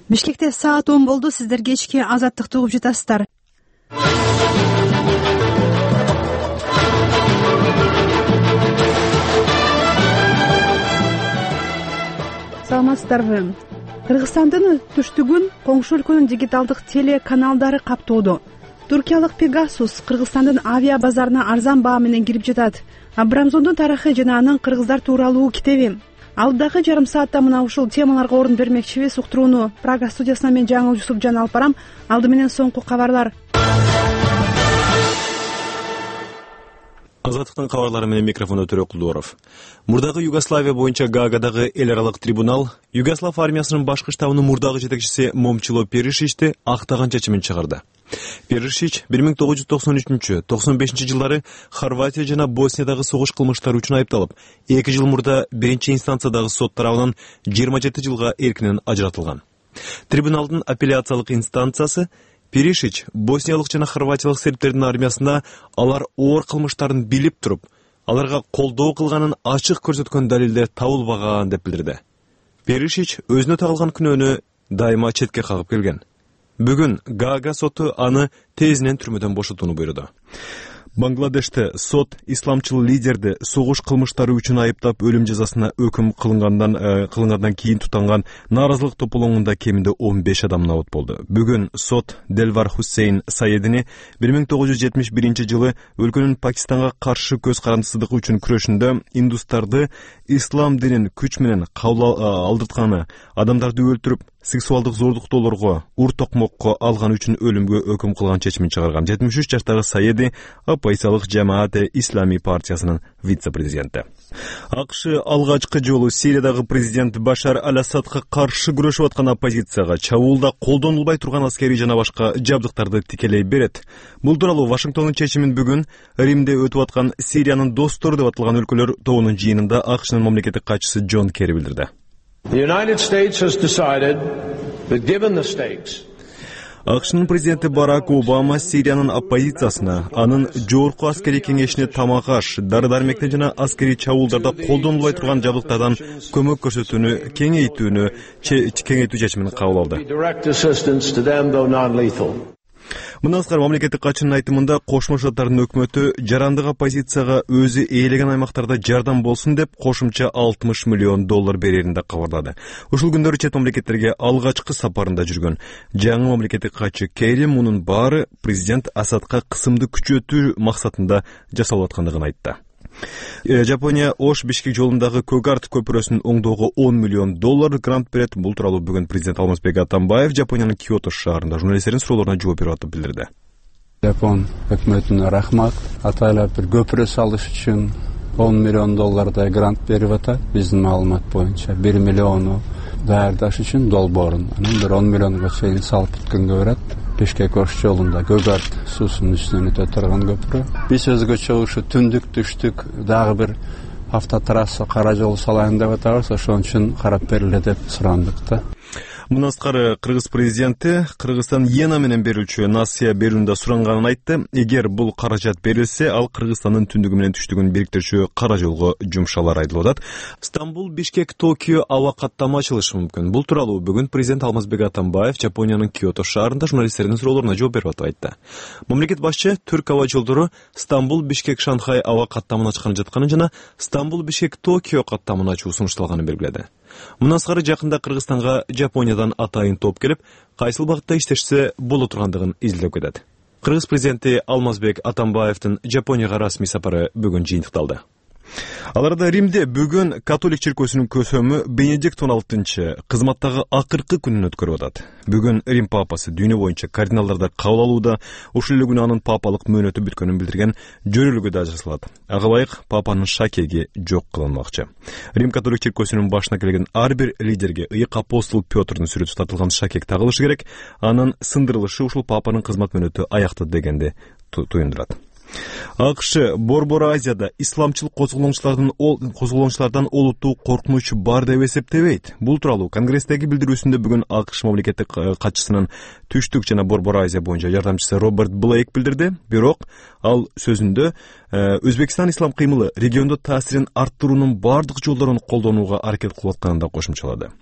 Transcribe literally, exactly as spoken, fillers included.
Бишкекте саат он болду. Сиздер кечки Азаттыкты угуп жатасыздар. Саламатсыздарбы? Кыргызстандын түштүгүн коңшу өлкөнүн дигиталдык телеканалдары каптоодо. Туркиялык Pegasus Кыргызстандын авиа базарына арзан баа менен кирип жатат. Абрамзондун тарыхы жана анын кыргыздар тууралуу китеби. Алдагы жарым саатта мына ушул темаларга орун бермекчибиз. Уктурууну Прага студиясынан мен Жаңыл Жусупжан алып барам. Алды менен соңку кабарлар. Азаттыктын кабарлары менен микрофондо Төрөк Кулдуоров. Мурдагы Югославия боюнча Гаагадагы эл аралык трибунал Югослав армиясынын башкы штабынын мурдагы жетекчиси Момчило Перишичти актаган чечимин чыгарды. Перишич бир миң тогуз жүз токсон үчүнчү — токсон бешинчи жылдары Хорватия жана Босниядағы согуш кылмыштары үчүн айыпталып, эки жыл мурда биринчи инстанциядагы сот тарабынан жыйырма жети жылга эркинен ажыратылган. Трибуналдын апелляциялык инстанциясы Перишич босниялык жана хорватиялык сербтердин армиясына алар оор кылмыштарын билип туруп, аларга колдоо кылганын ачык көрсөткөн далилдер табылбаган деп билдирди. Перишич өзүнө тагылган күнөөнү дайыма четке кагып келген. Бүгүн Гаага соту аны тезинен түрмөдөн бошотууну буйруду. Бангладеште сот исламчыл лидерди согуш кылмыштары үчүн айыптап өлүм жазасына өкүм кылынгандан э, кылынгандан кийин тутанган нааразылык топтолуңунда кеминде он беш адам набыт болду. Бүгүн сот Делвар Хусейн Саедини бир миң тогуз жүз жетимиш биринчи жылы өлкөнүн Пакистанга каршы көз карандысыздыгы үчүн күрөшүндө индустарды ислам динин күч менен кабыл алдыртканы, адамдарды өлтүрүп, сексуалдык зордуктоолорго, ур токмокко алган үчүн өлүмгө өкүм кылган чечимин чыгарган. жетимиш үч жаштагы Саеди Оппозициялык Жамаате Ислами партиясынын вице-президенти. АКШ алгачкы жолу Сириядагы президент Башар Аль-Асадка каршы күрөшүп аткан оппозицияга чабуулда колдонулбай турган аскерий жана башка жабдыктарды тикелей берет. Бул тууралуу Вашингтондун чечимин бүгүн Римде өтүп аткан Сириянын достору деп аталган өлкөлөр тобунун жыйынында АКШнын мамлекеттик катчысы Джон Керри билдирди. The United States has decided that given the stakes, АКШнын президенти Барак Обама Сириянын оппозициясына, анын жогорку аскерий кеңешине тамак-аш, дары-дармектен жана аскерий чабуулдарда колдонулбай турган жабдыктардан көмөк көрсөтүүнү кеңейтүүнү кеңейтүү чечимин кабыл алды. direct assistance to them, though non-lethal. Мындан тышкары мамлекеттик катчынын айтымында Кошмо Шаттардын өкмөтү жарандык оппозицияга өзү ээлеген аймактарда жардам болсун деп кошумча алтымыш миллион доллар берерин да кабарлады. Ушул күндөрү чет мамлекеттерге алгачкы сапарында жүргөн жаңы мамлекеттик катчы Керри мунун баары президент Асадка кысымды күчөтүү максатында жасалып аткандыгын айтты. Жапония Ош Бишкек жолундагы Көгарт көпүрөсүн оңдоого он миллион доллар грант берет. Бул тууралуу бүгүн президент Алмазбек Атамбаев Жапониянын Киото шаарында журналисттердин суроолоруна жооп берип атып билдирди. Жапон өкмөтүнө рахмат. Атайлап бир көпүрө салыш үчүн он миллион доллардай грант берип атат. Биздин маалымат боюнча бир миллиону даярдаш үчүн долбоорун, анан бир он миллионго чейин салып бүткөнгө барат. Бишкек Ош жолунда Көгарт суусунун үстүнөн өтө турган көпүрө. Биз өзгөчө ушу түндүк түштүк дагы бир автотрасса кара жол салайын деп атабыз. Ошон үчүн карап бериле деп сурандык да. Мындан тышкары Кыргыз президенти Кыргызстан Йена менен берүүчү насыя берүүндө суранганын айтты. Эгер бул каражат берилсе, ал Кыргызстандын түндүгү менен түштүгүн бириктирүүчү кара жолго жумшалар айтылып атат. Стамбул, Бишкек, Токио аба каттама ачылышы мүмкүн. Бул тууралуу бүгүн президент Алмазбек Атамбаев Жапониянын Киото шаарында журналисттердин суроолоруна жооп берип атып айтты. Мамлекет башчы Түрк аба жолдору Стамбул, Бишкек, Шанхай аба каттамын ачканы жатканын жана Стамбул, Бишкек, Токио каттамын ачуу сунушталганын белгиледи. Мындан тышкары жакында Кыргызстанга Жапониядан атайын топ келип, кайсыл багытта иштешсе боло тургандыгын изилдеп кетет. Кыргыз президенти Алмазбек Атамбаевдин Жапонияга расмий сапары бүгүн жыйынтыкталды. Аларда Римде бүгүн католик чиркөөсүнүн көсөмү Бенедикт он алтынчы кызматтагы акыркы күнүн өткөрүп атат. Бүгүн Рим папасы дүйнө боюнча кардиналдарды кабыл алууда, ушул эле күнү анын папалык мөөнөтү бүткөнүн билдирген жөрөлүгү да жасалат. Ага ылайык папанын шакеги жок кылынмакчы. Рим католик чиркөөсүнүн башына келген ар бир лидерге ыйык апостол Петрдун сүрөтү тартылган шакек тагылышы керек. Анын сындырылышы ушул папанын кызмат мөөнөтү аяктады дегенди туюндурат. АКШ Борбор Азияда исламчыл козголоңчулардын козголоңчулардан олуттуу коркунуч бар деп эсептебейт. Бул тууралуу Конгресстеги билдирүүсүндө бүгүн АКШ мамлекеттик катчысынын түштүк жана Борбор Азия боюнча жардамчысы Роберт Блейк билдирди. Бирок ал сөзүндө Өзбекстан ислам кыймылы региондо таасирин арттыруунун бардык жолдорун колдонууга аракет кылып атканын да кошумчалады.